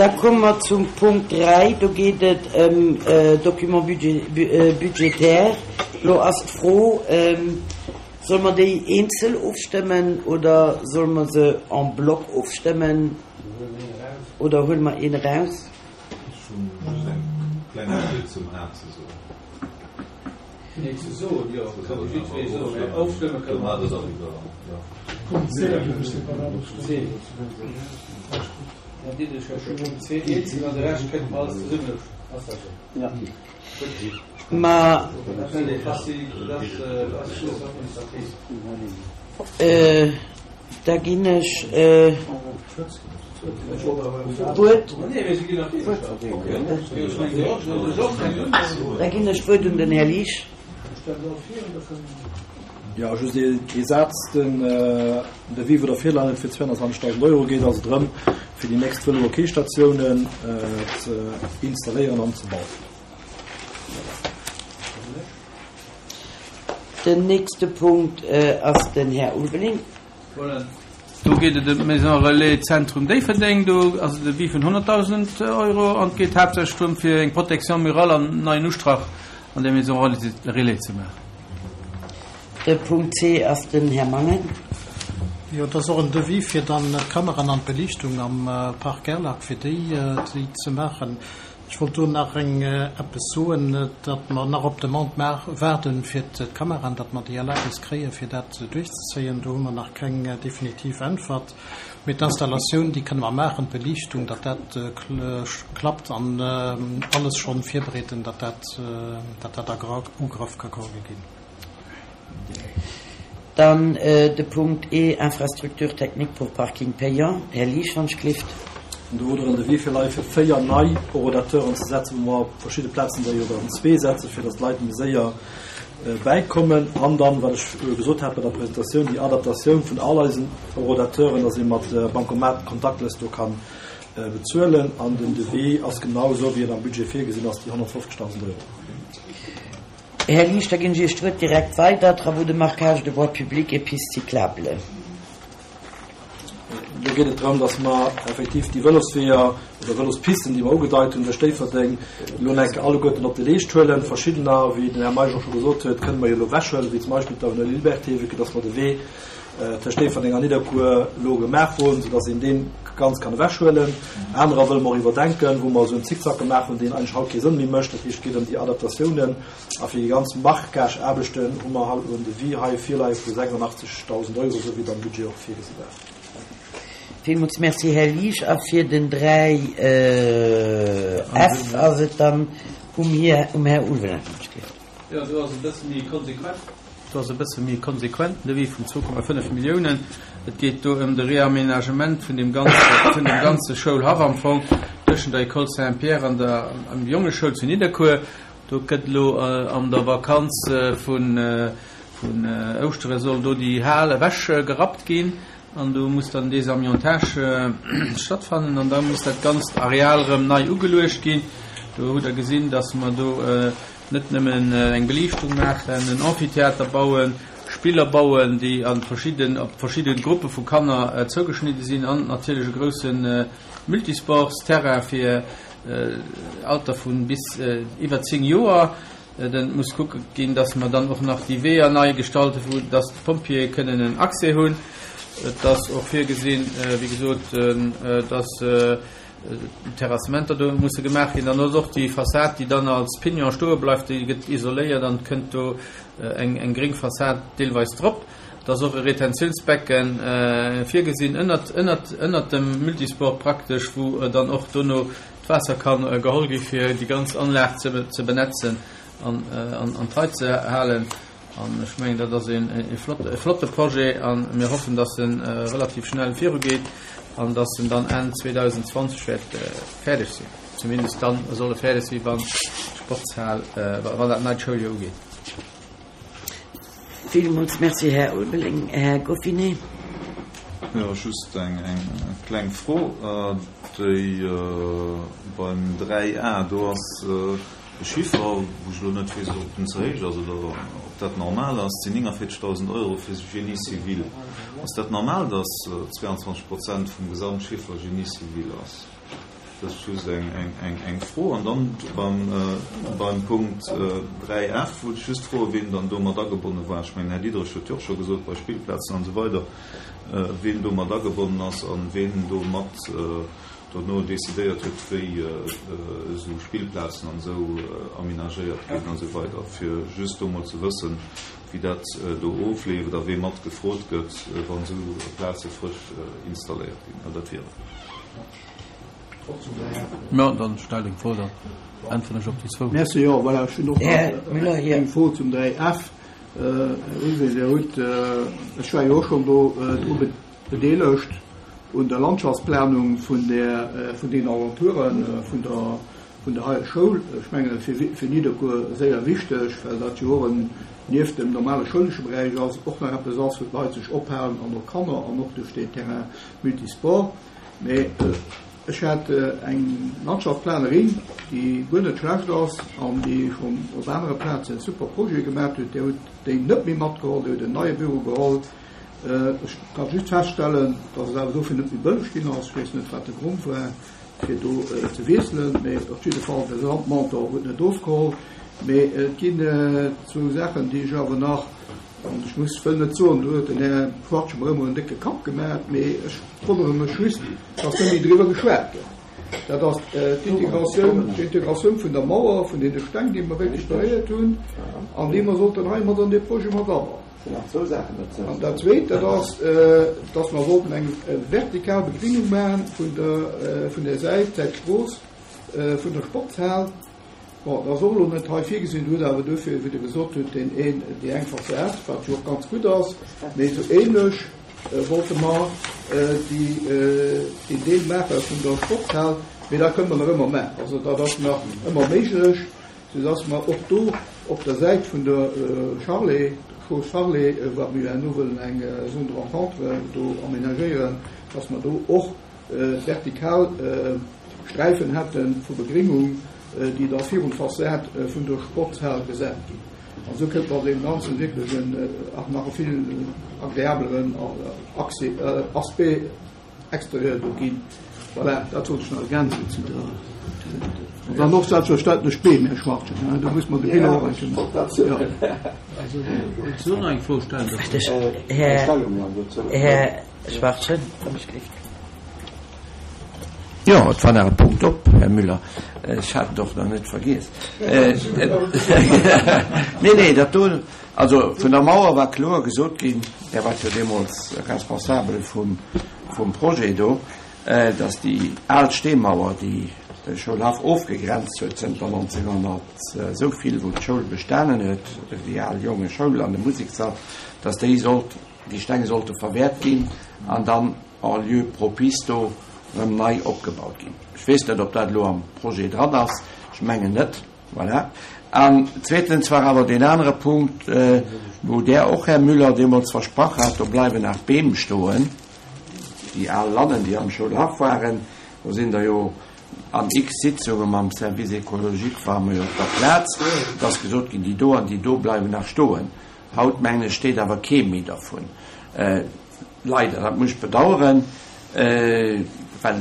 Da komme mer zum Punkt 3, do geet et ëm Documents budgétaires. Elo ass d'Fro, Solle mer déi eenzel ofstëmmen oder solle mer se en bloc ofstëmmen oder huele mer een eraus? Ech hunn just eng Klengegkeet zum A ze soen. Nee, ze soen, jo, kann ee jiddweree soen, mä ofstëmme kënne mer net. Punkt C ginn ech separat ofstëmmen. Dann ditt ech jo scho Punkt C eenzel an de Rescht kënne mer alles zesummen ofstëmmen. Ass dat esou? Ja. Ma da ginn ech d'Wuert, da ginn ech d'Wuert un den Här Liesch. Jo, just ee Saz, Den Devis, wou der virleien huet, fir 220.000 Euro geet also drëm, fir déi nächst Vëlo-OK-Statiounen ze installéieren an ze bauen. Den nächste Punkt ass den Här Ulveling. Voilà. Do geet et ëm d'Maison Relais Zentrum Déifferdeng. Do ass et e Devis vun 100.000 Euro an et geet haaptsächlech drëm, fir eng Protection murale an neien Ustrach an där Maison Relais ze maachen. De Punkt C ass den Här Mangen. Jo, et ass och en Devis fir dann d'Kameraen an d'Beliichtung am Park Gerlach, fir déi ze maachen. Ech wollt do nach eng eppes soen, datt mer nach op d'Demande waarden fir d'Kameraen, datt mer déi Erlaabnis kréien, fir dat duerchzezéien. Do hu mer nach keng definitiv Äntwert. Mee d'Installatioun, déi kënne mer maachen, d'Beliichtung, datt dat klappt an alles schonn virbereeden, datt dat, datt dat a Ugrëff ka geholl ginn. Dann de Punkt E, Infrastructures techniques pour parking payant. Här Liesch, wann ech gelift. An do hutt Der en Devis virleie fir 4 nei Horodateuren ze setzen, wou mer op verschidde Plazen der jo der zwee setzen, fir datt d'Leit méi séier bäikommen. An dann, wat ech gesot hat bei der Presentatioun, déi Adaptatioun vun all eisen Horodateuren, datt ee mat Bancomat contactless do ka bezuelen. An den Devis ass genau esou, wéi en am Budget virgesinn ass, déi 150.000 Euro. Här Liesch, da ginn ech Iech d'Wuert direkt weider, Travaux de marquage de voies publiques et pistes cyclables. Do geet et drëm, dass mer effektiv déi Vëlosweeër oder Vëlospisten, déi mer ugedeit hunn duerch Déifferdeng, elo nach eng Kéier alleguerten op de Leescht huelen. Verschiddener, wéi den Här Meisch och scho gesot huet, kënne mer jo elo ewechhuelen, wéi zum Beispill d'Avenue Liberté, vue que dass mer de Wee tëscht Déifferdeng an Nidderkuer elo gemaach hunn, soudass een dee ganz kann ewechhuelen. Anerer wëlle mer och iwwerdenken, wou mer esou en Zickzack gemaach hunn, deen eigentlech haut kee Sënn méi mécht. Dat heescht, et geet ëm déi Adaptatiounen. A fir déi ganz Marquage-Aarbechten hu mer halt elo en Devis hei virleie vu 86.000 Euro, esou wéi et am Budget och virgesi war. Villmools Merci, Här Liesch. A fir den 3 F ass et dann um Här Ulveling. Jo, do ass e bësse méi konsequent. Do ass e bësse méi konsequent den Devis vun 2,5 Milliounen. Et geet do ëm de Réaménagement vun deem ganze, vun deem ganze Schoulhaff am Fong tëschent der École Saint-Pierre an der Jongeschoul zu Nidderkuer. Do gëtt elo an der Vakanz vun Ouschtere soll do déi Hal ewech gerappt ginn an do muss dann Désamiantage stattfannen an da muss dat ganzt Areal erëm nei ugeluecht ginn. Do hutt Der gesinn, datt mer do net nëmmen eng Beliichtung maachen, en Amphitheater bauen, Spiller bauen, déi a verschidden, op verschidde Gruppe vu Kanner zougeschnidde sinn an natierlech e grousse Multisportsterrain fir Alter vun bis iwwer 10 Joer. Et muss kucke ginn, dass mer dann och nach déi Weeër nei gestalten, wou dass d'Pompjeeë kënnen en Accès hunn. Et ass och virgesinn, wéi gesot, dass Terrassementer do musse gemaach ginn. Dann ass och déi Fassad, déi dann als Pignon stoe bleift, déi gëtt isoléiert an et kënnt do eng gréng Fassad deelweis drop. Et ass och e Retentiounsbecken virgesinn ënnert, ënnert, ënnert dem Multisport praktesch, wou dann och dono d'Waasser ka geholl gi fir déi ganz Anlag ze, ze benetzen an, an, an d'Rei ze halen. An ech mengen, dat ass een, e flott, e flotte Projet a mir hoffen, dass e relativ schnell virugeet an dass en dann Enn 2020 wäert fäerdeg sinn. Zumindest dann soll e fäerdeg sinn, wann d'Sportshal, wann dat neit Schouljoer ugeet. Villmools Merci, Här Ulveling. Här Goffinet. Jo, just eng kleng Fro. Déi beim 3A, do ass e Chiffer, wou ech elo net weess, ob den ze héich ass oder ob dat normal ass, et sinn 49.000 Euro fir Génie civil. Ass dat normal, datt 22 Prozent vum Gesamtchiffer Génie civil ass? Dat ass just eng Fro. An dann beim Punkt 3F wollt ech just froen, wien dann do mat agebonne war. Ech mengen, Här Diderich huet jo och scho gesot, bei Spillplazen an esou weider, wien do mat agebonnen ass a wien do mat dono decidéiert huet, wéi esou Spillplazen an esou aménagéiert ginn an esou weider, fir just do mol ze wëssen, wéi dat do ofleeft a wee mat gefrot gëtt, wann esou Plaze frësch installéiert ginn. Jo, dat wier et. Jo, dann stell deng Fro, dann äntweren ech op déi zwou. Merci. Jo, voilà, ech hunn och nach eng Fro zum 3F. Här Ullwee, Dir hutt, ech war jo och schonn do dru bedeelegt un der Landschaftsplanung vun der, vun den Alentoure vun der, vun der heier Schoul. Ech mengen, fir, fir Nidderkuer séier wichteg, well dat jo och en, nieft dem normale schoulesche Beräich ass, och nach eppes ass, wou d'Leit sech ophalen an och Kanner an och duerch deen Terrain multisport. Mee ech hat eng Landschaftsplanerin, déi guer net schlecht ass an déi schonn op anere Plazen super Projete gemaach huet. Där huet déi net méi matgeholl, déi huet en neie Büro geholl. Ech ka just feststellen, datt et awer dofir net méi bëlleg ginn ass. Ech weess net, wat de Grond war, fir do ze wiesselen, mee op jidde Fall, de Landmentor huet net ofgeholl. Mee et ginn zwou Saachen, déi ech awer nach, an ech muss, wëll net soen, do huet den Här Schwartz mer ëmmer en décke Kapp gemaach, mee ech wonnere mech just, datt net méi driwwer geschwat gëtt. Dat ass d'Integratioun, d'Integratioun vun der Mauer, vun deene Steng, déi mer recuperéiert hunn an déi mer sollten hei mat an dee Projet mat abauen. An dat Zweet, dat ass, dass mer wollten eng vertikal Begringung maachen vun der, vun der Säit, Säit Strooss, vun der Sportshal. Bon, dat ass och elo net hei virgesinn, huet awer duerfir, wéi Der gesot hutt, deen een, déi eng Fassad, wat jo och ganz gutt ass, mee esou ähnlech wollte mer déi, deen Deel maache vun der Sportshal. Mee dat kënne mer nach ëmmer maachen. Also dat ass nach ëmmer méiglech. Soudass mer och do op der Säit vun der Charlet, Strooss Charlet, wat mir jo herno wëllen eng Zone de rencontre do aménagéieren, dass mer do och vertikal Sträifen hätte vu Begringung, déi da virun d'Fassad vun der Sportshal gesat ginn. An esou kënnt mer deem Ganzen wierklech en nach e vill agreableren Accès, Aspect Exterieur do ginn. Voilà, dat wollt ech nach ergänzen zu der. An dann och selbstverständlech d'Beem, Här Schwachtgen, hein, do muss mer de Bilan och eng Kéier maachen. Jo. Also, wollt se och nach eng Fro stellen? Här, Här Schwachtgen, wann ech gelift. Jo, et war nach e Punkt op, Här Müller. Ech hat et och nach net vergiess. Nee, nee, dat do, Also vun der Mauer war kloer gesot ginn, Där waart jo deemools Responsabel vum Projet do, datt déi al Steemauer, déi de Schoulhaff ofgegrenzt huet zënter 1900 esou vill, wou d'Schoul bestanen huet, déi al Jongeschoul an de Musekssall, datt déi sollt, déi Steng sollte verwäert ginn an dann en lieu propice do erëm nei opgebaut ginn. Ech weess net, ob dat elo am Projet dran ass, ech mengen net. Voilà. An zweetens war awer deen anere Punkt, wou Der och, Här Müller, deemools versprach hat, do bleiwen nach Beem stoen, déi al Lannen, déi am Schoulhaff waren. Do sinn der jo an x Sitzunge mam Service écologique ware mer jo op der Plaz, et ass gesot ginn, déi do an déi do bleiwen nach stoen. Haut, mengen ech, steet awer kee méi dervun. Leider, dat muss ech bedauern, well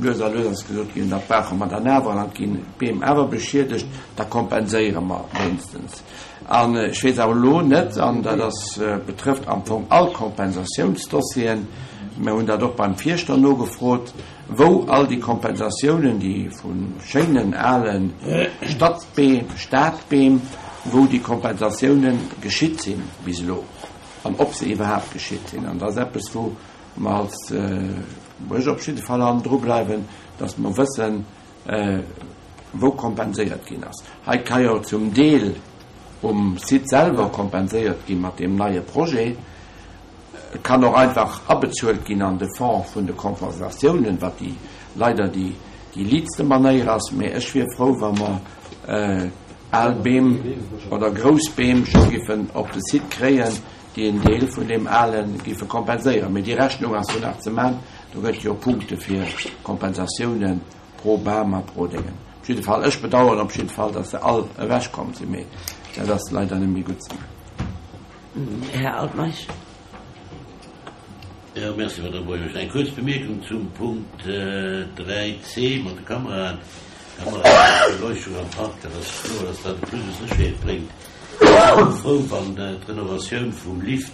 lues a lues ass gesot ginn, dat brauche mer dann awer, an dann ginn d'Beem awer beschiedegt, da kompenséiere mer wéinstens. An ech weess awer elo net, an dat ass, betrëfft am Fong all Kompensatiounsdossieren, mir hunn dat och beim Fierschter nogefrot, wou all déi Kompensatiounen, déi vu schéinen ale Stadbeem, Stadbeem, wou déi Kompensatiounen geschitt sinn bis elo. An ob se iwwerhaapt geschitt sinn. An dat ass eppes, wou mer als, wou ech op jidde Fall hannendru bleiwen, dass mer wëssen, wou kompenséiert ginn ass. Hei ka jo zum Deel um Site selwer kompenséiert gi mat deem neie Projet. Et kann och einfach abezuelt ginn an de Fonds vun de Kompensatiounen, wat déi leider déi liitste Manéier ass. Mee ech wier frou, wa mer Al Beem oder grouss Beem scho giffen op de Site kréien, déi en Deel vun deem ale giffe kompenséieren. Mee déi Rechnung ass jo nach ze man. Do gëtt jo Punkte fir Kompensatiounen pro Bam a pro Déngen. Op jidde Fall, ech bedauern op jidde Fall, datt se all ewechkomm sinn, mee dat ass leider net méi gutt ze man. Här Altmeisch. Jo, merci, Madame Buergermeeschtesch. Eng kuerz Bemierkung zum Punkt 3 c mat de Kameraen. Kameraen an Beleuchtung am Park, dat ass kloer, dass dat e Plus u Sécherheet bréngt. Ech wier och frou, wann d'Renovatioun vum Lift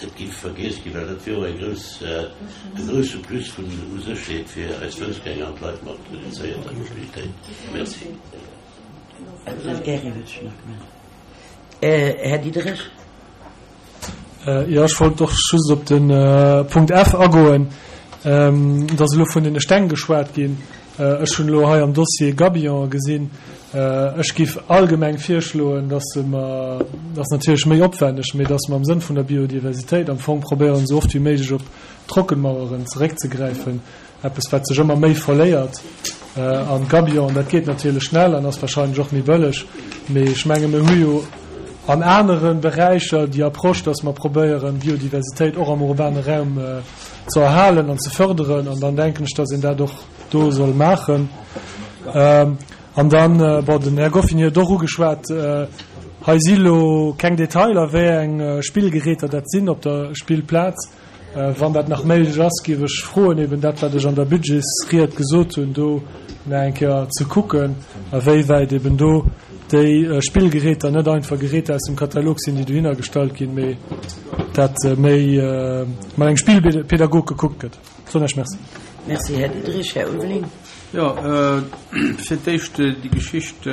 net géif vergiess ginn, well dat wier och eng grouss, e grousse Plus vun u Sécherheet fir eis Foussgänger an d'Leit mat reduzéierter Mobilitéit. Merci. Här Diderich. Jo, ech wollt och just op de Punkt F agoen. Et ass elo vun deene Steng geschwat ginn. Ech hunn elo hei am Dossier Gabion gesinn. Ech géif allgemeng virschloen, dass mer, dat ass natierlech méi opwänneg, mee dass mer am Sënn vun der Biodiversitéit am Fong probéieren, esou oft wéi méiglech op Trockenmaueren zeréckzegräifen. Eppes, wat sech ëmmer méi verléiert. An d'Gabion, dat geet natierlech schnell an ass wahrscheinlech och méi bëlleg. Mee ech menge mir hu jo an anere Beräicher déi Approche, dass mer probéieren, Biodiversitéit och am urbane Raum ze erhalen an ze förderen. An dann denken ech, dass een dat och do soll maachen. An dann, bon, den Här Goffin huet och ugeschwat, hei si lo keng Detailer, wéi eng Spillgeräter dat sinn op der Spillplaz. Wann dat nach méiglech ass, géif ech froen, eben dat, wat ech an der Budgetsried gesot hunn, do nach eng Kéier ze kucken, awéiwäit eben do déi Spillgeräter net einfach Geräter aus dem Katalog sinn, déi dohinner gestallt ginn, mee dat méi mat engem Spillpedagog gekuckt gëtt. Soen ech Merci. Merci, Här Diderich. Här Ulveling. Jo, fir d'éischt déi Geschicht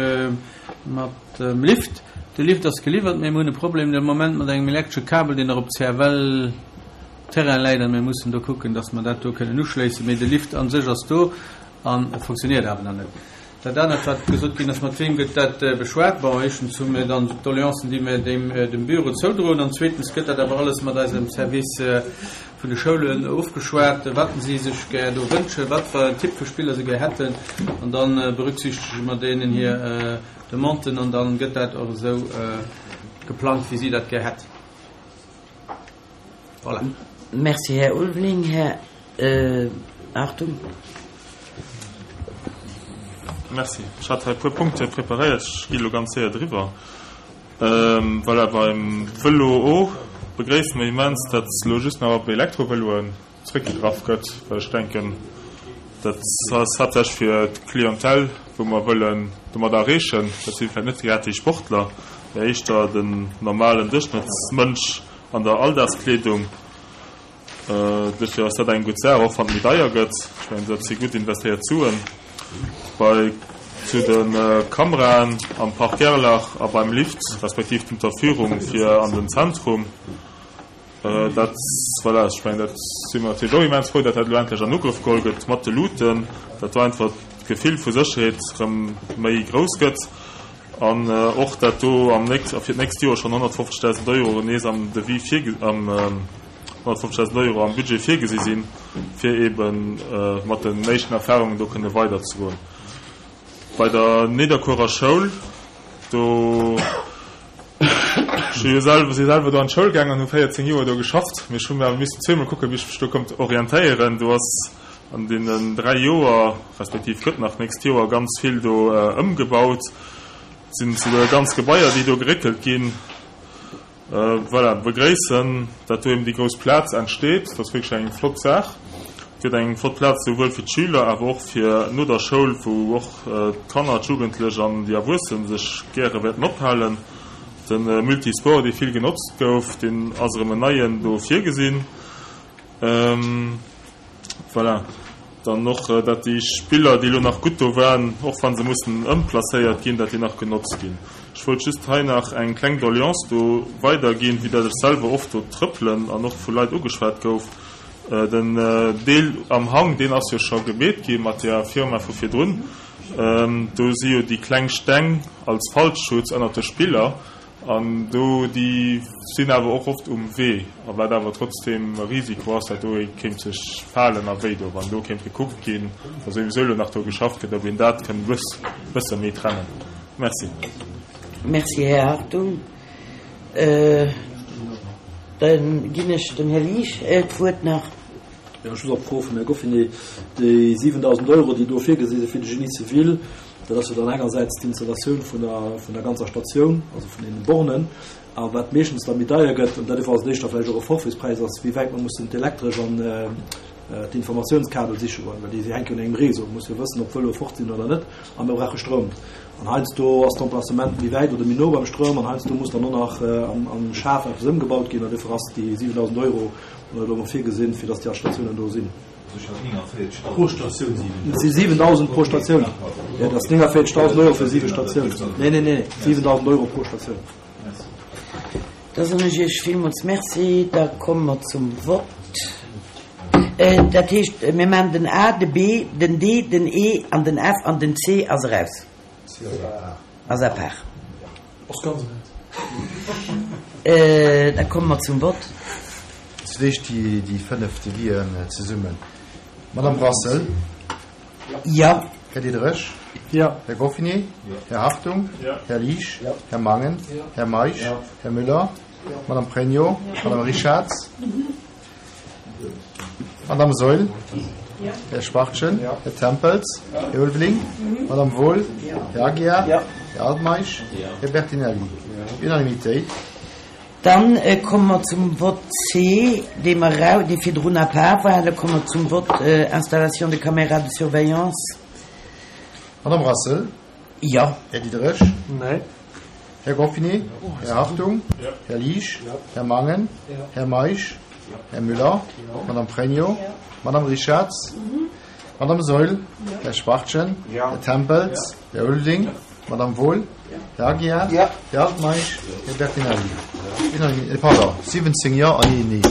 mat Dem Lift, De Lift ass geliwwert, mee mir hunn e Problem de Moment mat engem elektresche Kabel, deen nach op CFL Terrain läit an mir mussen do kucken, dass mer dat do kënnen uschléissen. Mee de Lift a sech ass do an e funktioniert awer nach net. Dat anert, wat gesot ginn ass, mat weem gëtt dat beschwat? Bon, éischtens hu mir dann d'Doleancen, déi mir deem dem Büro zoudroen an zweetens gëtt dat awer alles mat eisem Service vun de Schoulen ofgeschwat, wat si sech gär do wënschen, wat fir en Typ vu Spiller se gär hätten an da berücksichtege mer deenen hir Demanden an dann gëtt dat och esou geplangt, wéi si dat gär hätt. Voilà. Merci, Här Ulveling. Här Hartung. Merci. Ech hat hei e puer Punkte preparéiert. Ech gi elo ganz séier driwwer. Voilà, beim Vëlo o begréisse mer immens, datt elo just nach op Elektrovëloen zréckgegraff gëtt, well ech denken, dat ass haaptsächlech fir d'Clientèle, wou mer wëllen domat erreechen. Dat si vläicht net grad déi Sportler, mä éischter den normalen Duerchschnëttsmënsch an der Alldagskleedung. Duerfir ass dat eng gutt Saach, och wann et méi deier gëtt. Ech mengen, dat si gutt investéiert Suen. Bei zu de Kameraen am Park Gerlach a beim Lift, respektiv d'Unterführung fir an den Zentrum, Dat, voilà, ech mengen, dat si mer natierlech och immens frou, datt dat elo endlech an Ugrëff geholl gëtt mat de Luuten, datt do einfach d'Gefill vu Sécherheet erëm méi grouss gëtt an och dat do am nächst, fir d'nächst Joer schonn 150.000 Euro nees am Devis virge, am 150.000 Euro am Budget virgesi sinn, fir eebe mat den éischten Erfahrungen do kënne weiderzegoen. Bei der Nidderkuerer Schoul, do Ech hu jo selwer, si selwer do an d'Schoul gaangen an hu 14 Joer do geschafft, mee ech hu mir awer missen zweemol kucken, wéi ech mech do konnt orientéieren. Do ass an deenen 3 Joer, respektiv gëtt nach d'nächst Joer ganz vill do ëmgebaut. Et sinn souguer ganz Gebaier, déi do geréckelt ginn. Voilà, begréissen, dat do eben déi grouss Plaz entsteet. Dat ass wierklech eng flott Saach. Et gëtt eng flott Plaz souwuel fir d'Schüler, awer och fir no der Schoul, wou och d'Kanner, d'Jugendlech an déi Erwuessen sech gäre wäerten ophalen. De Multisport, dee vill genotzt gouf, deen ass erëm en neien do virgesinn. Voilà. Dann och, dat déi Spiller, déi elo nach gutt do waren, och wa se mussen ëmplacéiert ginn, dat déi nach genotzt ginn. Ech wollt just hei nach eng kleng Doleance do weiderginn, vue dat ech selwer oft do trëppelen an och vu Leit ugeschwat gouf. Den Deel am Hang, deen ass jo scho gemeet gi mat där Firma vu virdrun. Do si jo déi kleng Steng als Fallschutz ënnert de Spiller. An do, déi sinn awer och oft um Wee, a wat awer trotzdeem e Risiko ass, dat do ee kéint sech falen a wéi do, wann do kéint gekuckt ginn, wa souwisou elo nach do geschafft gëtt, ob een dat kënnt e bësse méi trennen. Merci. Merci, Här Hartung. Da ginn ech dem Här Liesch d'Wuert nach. Jo, just op d'Fro vum Här Goffinet, Déi 7.000 Euro, déi do virgesi si fir de Génie civil, dat ass jo dann engersäits d'Installatioun vun der, vun der ganzer Statioun, also vun deene Bornen. A wat meeschtens da méi deier gëtt, an dat ass éischter vläicht och e Forfaitspräis, ass wéi wäit mer mussen d'Elektresch an d'Informatiounskabel siche goen, well déi hänke jo un engem Réseau. Mir musse jo wëssen, ob d'Vëloe fort sinn oder net, a mir brauche Stroum. An heiansdo ass d'Emplacement méi wäit oder méi no beim Stroum an heiansdo muss dann och nach am Schaf eppes ëmgebaut ginn. An duerfir ass déi 7.000 Euro do emol virgesinn, fir datt déi all Statiounen do sinn. Pro Statioun 7.000? Et si 7.000 pro Statioun. Jo, dat ass 49.000 Euro fir siwe Statiounen. Nee, nee, nee, 7.000 Euro pro Statioun. Da soen ech Iech villmools Merci. Da komme mer zum Vott. Dat heescht, mir maachen den A, de B, den D, den E an den F an den C ass eraus. Ass à part. Ass ganz eraus. Da komme mer zum Vott. Zu d'éischt déi 5 Devisen zesummen. Madame Brassel. Jo. Här Diderich. Jo. Här Goffinet. Jo. Här Hartung. Jo. Här Liesch. Jo. Här Mangen. Jo. Här Meisch. Jo. Här Müller. Jo. Madame Pregno. Madame Richarz. Madame Saeul. Jo. Här Schwachtgen. Jo. Här Tempels. Jo. Här Ulveling. Madame Wohl. Jo. Här Aguiar. Jo. Här Altmeisch. Jo. Här Bertinelli. Unanimitéit. Dann komme mer zum Vott C, dee mer erau, dee virdrun à part war. Da komme mer zum Vott Installation de caméras de surveillance. Madame Brassel. Jo. Här Diderich. Nee. Här Goffinet. Här Hartung. Jo. Här Liesch. Jo. Här Mangen. Jo. Här Meisch. Jo. Här Müller. Jo. Madame Pregno. Madame Richarz. Madame Saeul. Här Schwachtgen. Jo. Här Tempels. Här Ulveling. Madame Wohl. Här Aguiar. Jo. Här Altmeisch. Här Bertinelli. Unanimi-, pardon, 17 Jo an een Nee.